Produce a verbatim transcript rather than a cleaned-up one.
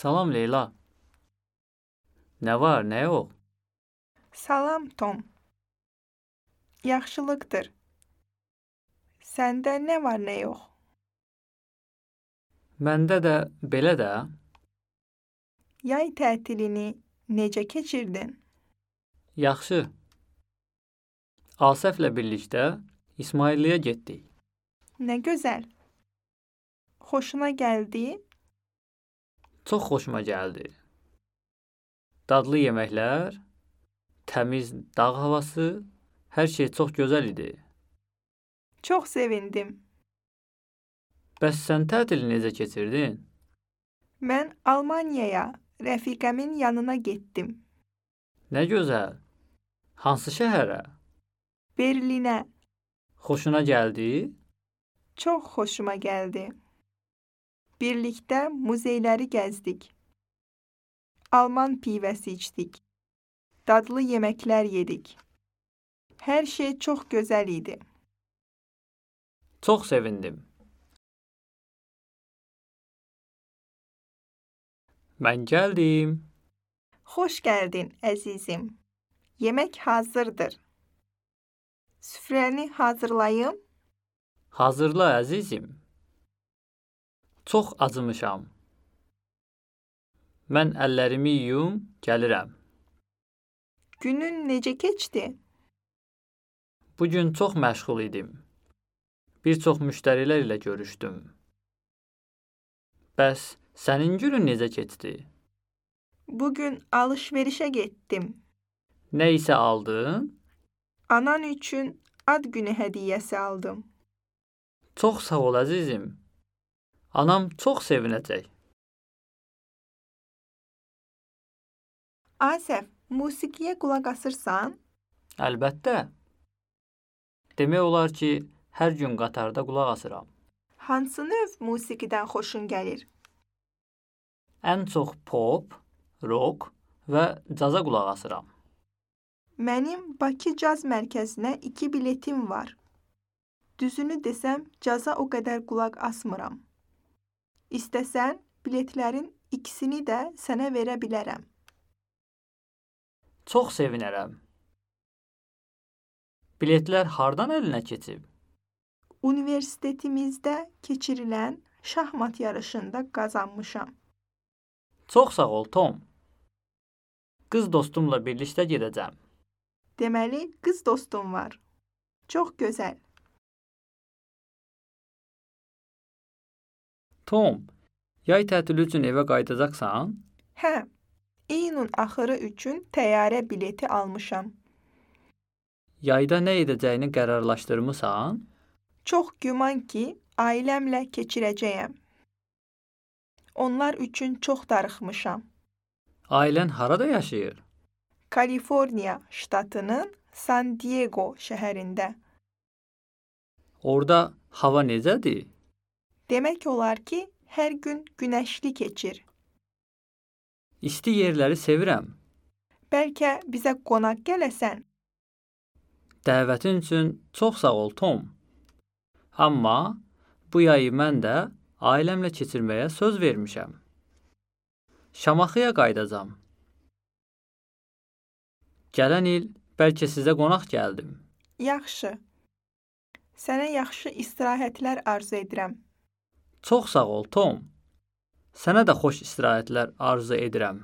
Salam Leyla. Nə var, nə yox? Salam Tom. Yaxşılıqdır. Səndə nə var, nə yox? Məndə də belə də. Yay tətilini necə keçirdin? Yaxşı. Asəflə birlikdə İsmailliyə getdik. Nə gözəl. Xoşuna gəldi? Çox xoşuma gəldi. Dadlı yeməklər, təmiz dağ havası, hər şey çox gözəl idi. Çox sevindim. Bəs sən tətili necə keçirdin? Mən Almaniyaya, rəfiqəmin yanına getdim. Nə gözəl. Hansı şəhərə? Berlinə. Xoşuna gəldi? Çox xoşuma gəldi. Birlikdə muzeyləri gəzdik. Alman pivəsi içdik. Dadlı yeməklər yedik. Hər şey çox gözəl idi. Çox sevindim. Mən gəldim. Xoş gəldin, əzizim. Yemək hazırdır. Süfrəni hazırlayım. Hazırla əzizim. Çox acımışam. Mən əllərimi yuyum, gəlirəm. Günün necə keçdi? Bugün çox məşğul idim. Bir çox müştərilər ilə görüşdüm. Bəs sənin günün necə keçdi? Bugün alış-verişə getdim. Nə isə aldın? Anan üçün ad günü hədiyyəsi aldım. Çox sağ ol əzizim. Anam çox sevinəcək. Asəf, musiqiyə qulaq asırsan? Əlbəttə. Demək olar ki, hər gün qatarda qulaq asıram. Hansı növ musiqidən xoşun gəlir? Ən çox pop, rock və caza qulaq asıram. Mənim Bakı Caz Mərkəzinə iki biletim var. Düzünü desəm, caza o qədər qulaq asmıram. İstəsən, biletlərin ikisini də sənə verə bilərəm. Çox sevinərəm. Biletlər hardan əlinə keçib? Universitetimizdə keçirilən şahmat yarışında qazanmışam. Çox sağ ol, Tom. Qız dostumla birlikdə gedəcəm. Deməli, qız dostum var. Çox gözəl. Tom, yay tətili üçün evə qayıdacaqsan? Hə, iyunun axırı üçün təyyarə bileti almışam. Yayda nə edəcəyini qərarlaşdırmısan? Çox güman ki, ailəmlə keçirəcəyəm. Onlar üçün çox darıxmışam. Ailən harada yaşayır? Kaliforniya ştatının San Diego şəhərində. Orada hava necədir? Demək olar ki, hər gün günəşli keçir. İsti yerləri sevirəm. Bəlkə bizə qonaq gələsən? Dəvətin üçün çox sağ ol, Tom. Amma bu yayı mən də ailəmlə keçirməyə söz vermişəm. Şamaxıya qayıdacam. Gələn il bəlkə sizə qonaq gəldim. Yaxşı. Sənə yaxşı istirahətlər arzu edirəm. Çox sağ ol, Tom. Sənə də xoş istirahətlər arzu edirəm.